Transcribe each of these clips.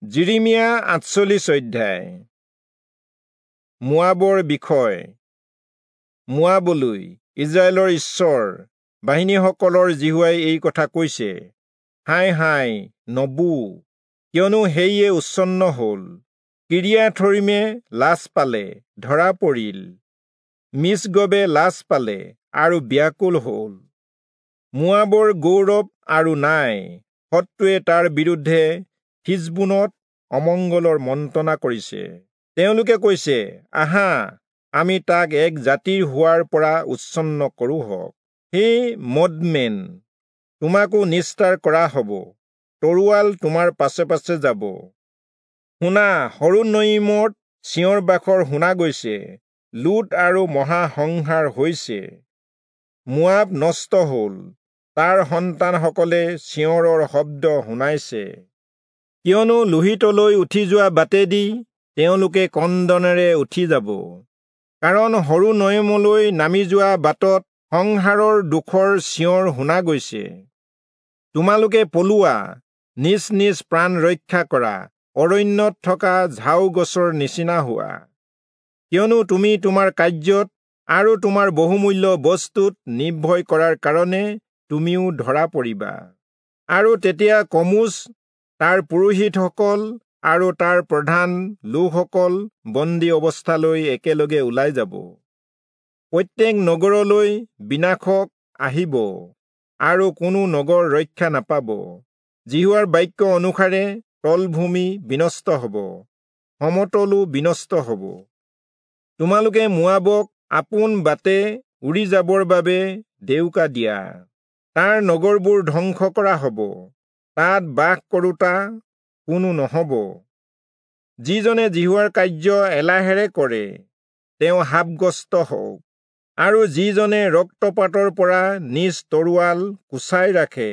যিৰিমিয়া 48 অধ্যায়। মোৱাবৰ বিষয়। মোৱাবলৈ ইস্ৰায়েলৰ ঈশ্বৰ বাহিনীসকলৰ যিহোৱাই এই কথা কৈছে, হায় হায় নবু, কিয়নো সেয়ে উচ্ছন্ন হল। কিৰিয়াথৰিমে লাজ পালে, ধৰা পৰিল। মিচগবে লাজ পালে আৰু ব্যাকুল হল। মোৱাবৰ গৌৰৱ আৰু নাই। শত্ৰুৱে তাৰ বিৰুদ্ধে হিচবোনত অমংগলৰ মন্ত্ৰণা কৰিছে। তেওঁলোকে কৈছে, আহা, আমি তাক এক জাতিৰ হোৱাৰ পৰা উচ্ছন্ন কৰোঁহক। হে মদমেন, তোমাকো নিস্তাৰ কৰা হব, তৰোৱাল তোমাৰ পাছে পাছে যাব। শুনা, হৰোনয়িমত চিঞৰ বাখৰ শুনা গৈছে, লুট আৰু মহাসংহাৰ হৈছে। মোৱাব নষ্ট হল, তাৰ সন্তানসকলে চিঞৰৰ শব্দ শুনাইছে। কিয়নো লোহিতলৈ উঠি যোৱা বাটেদি তেওঁলোকে কন্দনেৰে উঠি যাব। কাৰণ হৰোনয়িমলৈ নামি যোৱা বাটত সংহাৰৰ দুখৰ চিঞৰ শুনা গৈছে। তোমালোকে পলোৱা, নিজ নিজ প্ৰাণ ৰক্ষা কৰা, অৰণ্যত থকা ঝাও গছৰ নিচিনা হোৱা। কিয়নো তুমি তোমাৰ কাৰ্যত আৰু তোমাৰ বহুমূল্য বস্তুত নিৰ্ভয় কৰাৰ কাৰণে তুমিও ধৰা পৰিবা। আৰু তেতিয়া কমোচ, তাৰ পুৰোহিতসকল আৰু তাৰ প্ৰধান লোকসকল বন্দী অৱস্থালৈ একেলগে ওলাই যাব। প্ৰত্যেক নগৰলৈ বিনাশক আহিব আৰু কোনো নগৰ ৰক্ষা নাপাব। যিহোৱাৰ বাক্য অনুসাৰে তলভূমি বিনষ্ট হব, সমতলো বিনষ্ট হব। তোমালোকে মোৱাবক আপোন বাটে উৰি যাবৰ বাবে ডেউকা দিয়া। তাৰ নগৰবোৰ ধ্বংস কৰা হব, তাত বাস কৰোঁতা কোনো নহব। যিজনে যিহোৱাৰ কাৰ্য এলাহেৰে কৰে, তেওঁ শাপগ্ৰস্ত হওক। আৰু যিজনে ৰক্তপাতৰ পৰা নিজ তৰোৱাল কোচাই ৰাখে,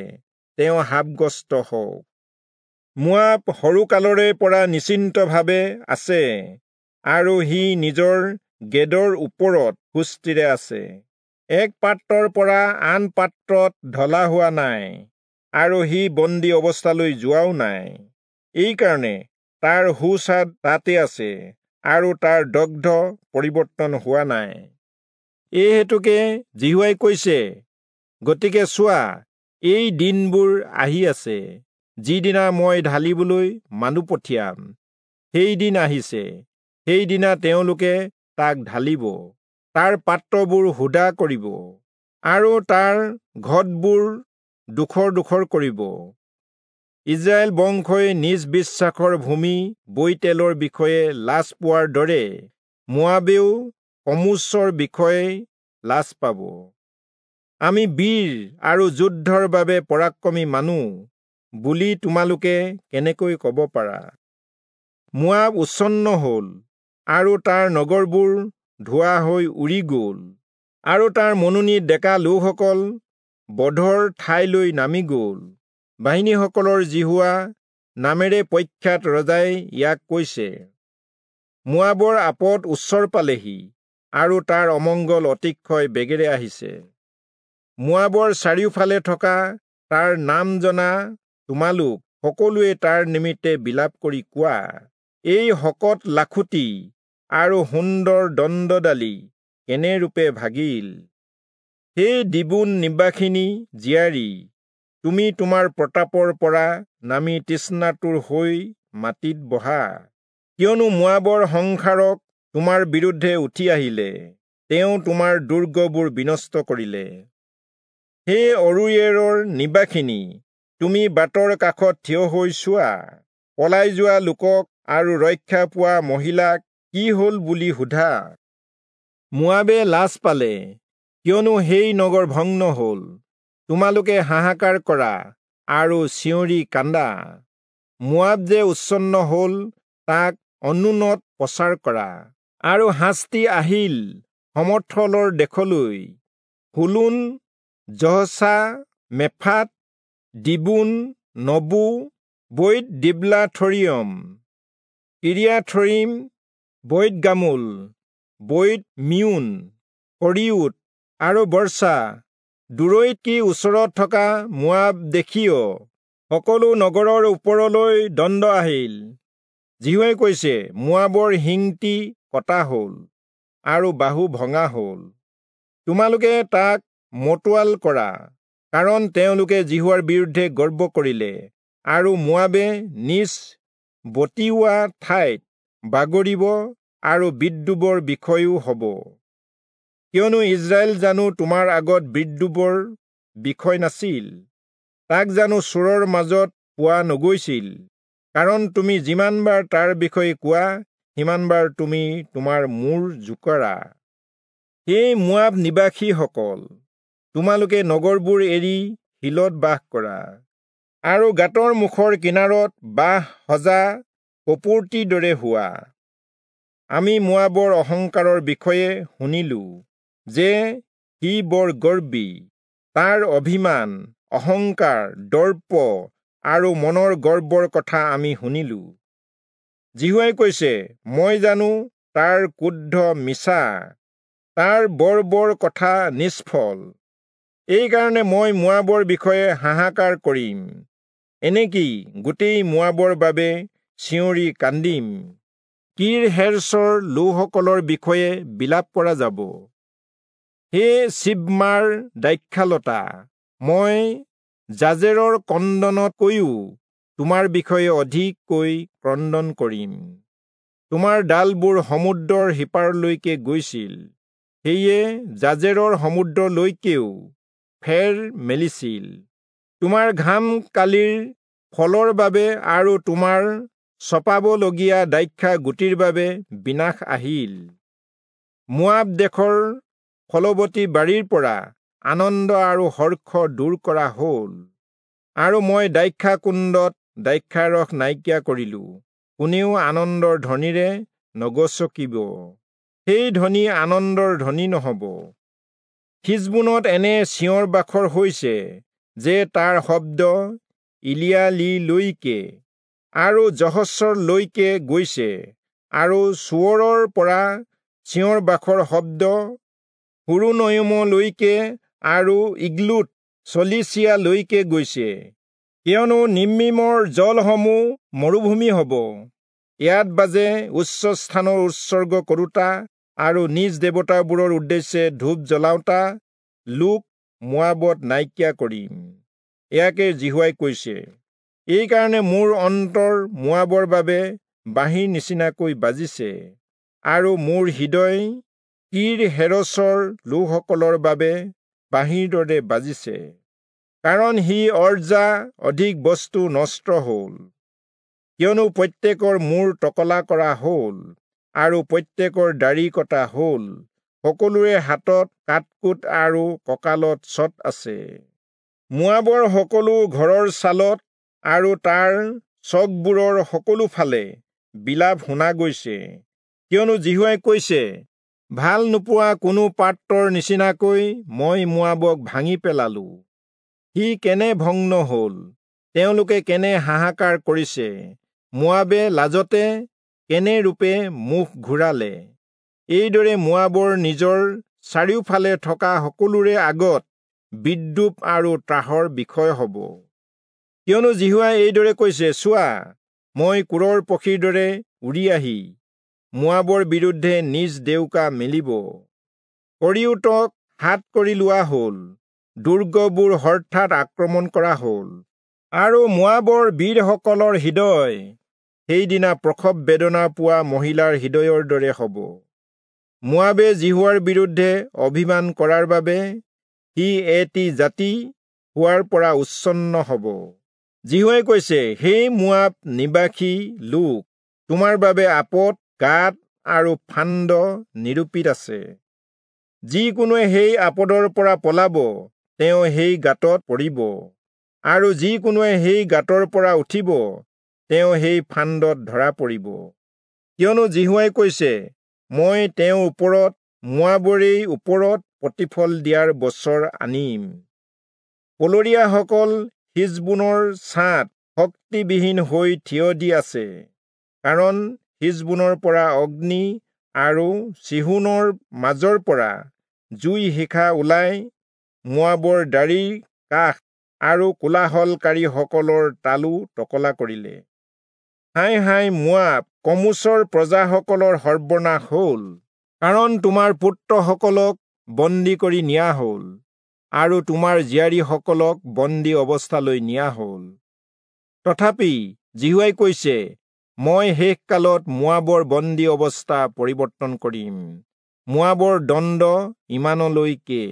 তেওঁ শাপগ্ৰস্ত হওক। মোৱাব সৰুকালৰে পৰা নিশ্চিন্তভাৱে আছে, আৰু সি নিজৰ গেদৰ ওপৰত সুস্থিৰে আছে। এক পাত্ৰৰ পৰা আন পাত্ৰত ঢলা হোৱা নাই, আৰু সি বন্দী অৱস্থালৈ যোৱাও নাই। এইকাৰণে তাৰ সুস্বাদ তাতে আছে, আৰু তাৰ দগ্ধ পৰিৱৰ্তন হোৱা নাই। এই হেতুকে যিহোৱাই কৈছে, গতিকে চোৱা, এই দিনবোৰ আহি আছে, যিদিনা মই ঢালিবলৈ মানুহ পঠিয়াম। সেইদিন আহিছে, সেইদিনা তেওঁলোকে তাক ঢালিব, তাৰ পাত্ৰবোৰ সুদা কৰিব, আৰু তাৰ ঘটবোৰ ডোখৰ ডোখৰ কৰিব। ইস্ৰায়েল বংশই নিজ বিশ্বাসৰ ভূমি বৈতেলৰ বিষয়ে লাজ পোৱাৰ দৰে মোৱাবেও কমোচৰ বিষয়ে লাজ পাব। আমি বীৰ আৰু যুদ্ধৰ বাবে পৰাক্ৰমী মানুহ বুলি তোমালোকে কেনেকৈ কব পাৰা? মোৱাব উচ্ছন্ন হল, আৰু তাৰ নগৰবোৰ ধোঁৱা হৈ উৰি গল, আৰু তাৰ মনোনীত ডেকা লোকসকল বধৰ ঠাইলৈ নামি গল। বাহিনীসকলৰ যিহোৱা নামেৰে প্ৰখ্যাত ৰজাই ইয়াক কৈছে, মোৱাবৰ আপদ ওচৰ পালেহি, আৰু তাৰ অমংগল অতিশয় বেগেৰে আহিছে। মোৱাবৰ চাৰিওফালে থকা তাৰ নাম জনা তোমালোক সকলোৱে তাৰ নিমিত্তে বিলাপ কৰি কোৱা, এই শকত লাখুটি আৰু সুন্দৰ দণ্ডডালি কেনেৰূপে ভাগিল! হে দীবোন নিবাসিনী জীয়াৰী, তুমি তোমাৰ প্ৰতাপৰ পৰা নামি তৃষ্ণাতুৰ হৈ মাটিত বহা। কিয়নো মোৱাবৰ সংহাৰক তোমাৰ বিৰুদ্ধে উঠি আহিলে, তেওঁ তোমাৰ দুৰ্গবোৰ বিনষ্ট কৰিলে। হে অৰোয়েৰৰ নিবাসিনী, তুমি বাটৰ কাষত থিয় হৈ চোৱা, পলাই যোৱা লোকক আৰু ৰক্ষা পোৱা মহিলাক কি হল বুলি সোধা। মোৱাবে লাজ পালে, কিয়নো সেই নগৰ ভগ্ন হল। তোমালোকে হাহাকাৰ কৰা আৰু চিঞৰি কান্দা। মোৱাব যে উচ্ছন্ন হল, তাক অনুনত প্ৰচাৰ কৰা। আৰু শাস্তি আহিল সমথলৰ দেশলৈ, হোলোন, জহচা, মেফাত, দিবোন, নবু, বৈত দিব্লাথৰিয়ম, কিৰিয়াথৰিম, বৈত গামুল, বৈত মিউন, কৰিয়ুত আৰু বৰ্ষা, দূৰৈত কি ওচৰত থকা মোৱাব দেশীয় সকলো নগৰৰ ওপৰলৈ দণ্ড আহিল। যিহোৱাই কৈছে, মোৱাবৰ শিংটি কটা হ'ল আৰু বাহু ভঙা হ'ল। তোমালোকে তাক মতোৱাল কৰা, কাৰণ তেওঁলোকে যিহোৱাৰ বিৰুদ্ধে গৰ্ব কৰিলে, আৰু মোৱাবে নিজ বটিওৱা ঠাইত বাগৰিব আৰু বিদ্ৰূপৰ বিষয়ো হ'ব। কিয়নো ইস্ৰায়েল জানো তোমাৰ আগত বিদ্ৰূপৰ বিষয় নাছিল? তাক জানো চোৰৰ মাজত পোৱা নগৈছিল? কাৰণ তুমি যিমানবাৰ তাৰ বিষয়ে কোৱা, সিমানবাৰ তুমি তোমাৰ মূৰ জোকাৰা। হে মোৱাব নিবাসীসকল, তোমালোকে নগৰবোৰ এৰি শিলত বাস কৰা, আৰু গাঁতৰ মুখৰ কিনাৰত বাঁহ সজা কপৌটিৰ দৰে হোৱা। আমি মোৱাবৰ অহংকাৰৰ বিষয়ে শুনিলো যে সি বৰ গৰ্বী। তাৰ অভিমান, অহংকাৰ, দৰ্প আৰু মনৰ গৰ্বৰ কথা আমি শুনিলো। যিহোৱাই কৈছে, মই জানো তাৰ ক্ৰোধ মিছা, তাৰ বৰ বৰ কথা নিষ্ফল। এইকাৰণে মই মোৱাবৰ বিষয়ে হাহাকাৰ কৰিম, এনেকি গোটেই মোৱাবৰ বাবে চিঞৰি কান্দিম। কীৰ-হেৰেচৰ লোকসকলৰ বিষয়ে বিলাপ কৰা যাব। হে চিবমাৰ দ্ৰাক্ষালতা, মই জাজেৰৰ ক্ৰন্দনতকৈও তোমাৰ বিষয়ে অধিককৈ ক্ৰন্দন কৰিম। তোমাৰ ডালবোৰ সমুদ্ৰৰ সিপাৰলৈকে গৈছিল, সেয়ে জাজেৰৰ সমুদ্ৰলৈকেও ফেৰ মেলিছিল। তোমাৰ ঘাম কালিৰ ফলৰ বাবে আৰু তোমাৰ চপাবলগীয়া দ্ৰাক্ষা গুটিৰ বাবে বিনাশ আহিল। মোৱাব দেশৰ ফলৱতী বাৰীৰ পৰা আনন্দ আৰু হৰ্ষ দূৰ কৰা হ'ল, আৰু মই দ্ৰাক্ষা কুণ্ডত দ্ৰাক্ষাৰস নাইকিয়া কৰিলো। কোনেও আনন্দৰ ধ্বনিৰে নগচকিব, সেই ধ্বনি আনন্দৰ ধ্বনি নহ'ব। হিচবোনত এনে চিঞৰ বাখৰ হৈছে যে তাৰ শব্দ ইলিয়ালিলৈকে আৰু যহচৰলৈকে গৈছে, আৰু চোৱৰৰ পৰা চিঞৰ বাখৰ শব্দ হোৰোণয়িমলৈকে আৰু ইগ্লোত চলিচিয়ালৈকে গৈছে। কিয়নো নিম্মিমৰ জলসমূহ মৰুভূমি হ'ব। ইয়াত বাজে উচ্চ স্থানৰ উৎসৰ্গ কৰোঁতা আৰু নিজ দেৱতাবোৰৰ উদ্দেশ্যে ধূপ জ্বলাওঁতা লোক মোৱাবত নাইকিয়া কৰিম। ইয়াকে যিহোৱাই কৈছে। এইকাৰণে মোৰ অন্তৰ মোৱাবৰ বাবে বাঁহীৰ নিচিনাকৈ বাজিছে, আৰু মোৰ হৃদয় কীৰ-হেৰেচৰ লোকসকলৰ বাবে বাঁহীৰ দৰে বাজিছে, কাৰণ সি অৰ্জা অধিক বস্তু নষ্ট হ'ল। কিয়নো প্ৰত্যেকৰ মূৰ টকলা কৰা হ'ল আৰু প্ৰত্যেকৰ দাড়ি কটা হ'ল, সকলোৰে হাতত কাটকোট আৰু কঁকালত চট আছে। মোৱাবৰ সকলো ঘৰৰ ছালত আৰু তাৰ চকবোৰৰ সকলো ফালে বিলাপ শুনা গৈছে। কিয়নো যিহোৱাই কৈছে, ভাল নোপোৱা কোনো পাত্ৰৰ নিচিনাকৈ মই মোৱাবক ভাঙি পেলালো। সি কেনে ভগ্ন হ'ল, তেওঁলোকে কেনে হাহাকাৰ কৰিছে, মোৱাবে লাজতে কেনে ৰূপে মুখ ঘূৰালে। এইদৰে মোৱাবৰ নিজৰ চাৰিওফালে থকা সকলোৰে আগত বিদ্ৰূপ আৰু ত্ৰাসৰ বিষয় হ'ব। কিয়নো যিহোৱাই এইদৰে কৈছে, চোৱা, মই কোৰৰ পক্ষীৰ দৰে উৰি আহি মোৱাবৰ বিৰুদ্ধে নিজ ডেউকা মেলিব। কৰিয়োতক হাত কৰি লোৱা হ'ল, দুৰ্গবোৰ হঠাৎ আক্ৰমণ কৰা হ'ল, আৰু মোৱাবৰ বীৰসকলৰ হৃদয় সেইদিনা প্ৰসৱ বেদনা পোৱা মহিলাৰ হৃদয়ৰ দৰে হ'ব। মোৱাবে যিহোৱাৰ বিৰুদ্ধে অভিমান কৰাৰ বাবে সি এটি জাতি হোৱাৰ পৰা উচ্ছন্ন হ'ব। যিহোৱাই কৈছে, হে মোৱাব নিবাসী লোক, তোমাৰ বাবে আপদ, গাঁত আৰু ফান্দ নিৰূপিত আছে। যিকোনোৱে সেই আপদৰ পৰা পলাব, তেওঁ সেই গাঁতত পৰিব, আৰু যিকোনোৱে সেই গাঁতৰ পৰা উঠিব, তেওঁ সেই ফান্দত ধৰা পৰিব। কিয়নো যিহোৱাই কৈছে, মই তেওঁৰ ওপৰত, মোৱাবৰেই ওপৰত প্ৰতিফল দিয়াৰ বছৰ আনিম। পলৰীয়াসকল হিচবোনৰ ছাঁত শক্তিবিহীন হৈ থিয় দি আছে, কাৰণ হিচবোনৰ পৰা অগ্নি আৰু চিহোনৰ মাজৰ পৰা জুই শিখা ওলাই মোৱাবৰ দাড়িৰ কাষ আৰু কোলাহলকাৰীসকলৰ তালু টকলা কৰিলে। হায় হায় মোৱাব, কমোচৰ প্ৰজাসকলৰ সৰ্বনাশ হ'ল, কাৰণ তোমাৰ পুত্ৰসকলক বন্দী কৰি নিয়া হ'ল আৰু তোমাৰ জীয়াৰীসকলক বন্দী অৱস্থালৈ নিয়া হ'ল। তথাপি যিহোৱাই কৈছে, মই শেষকালত মোৱাবৰ বন্দী অৱস্থা পৰিৱৰ্তন কৰিম। মোৱাবৰ দণ্ড ইমানলৈকে।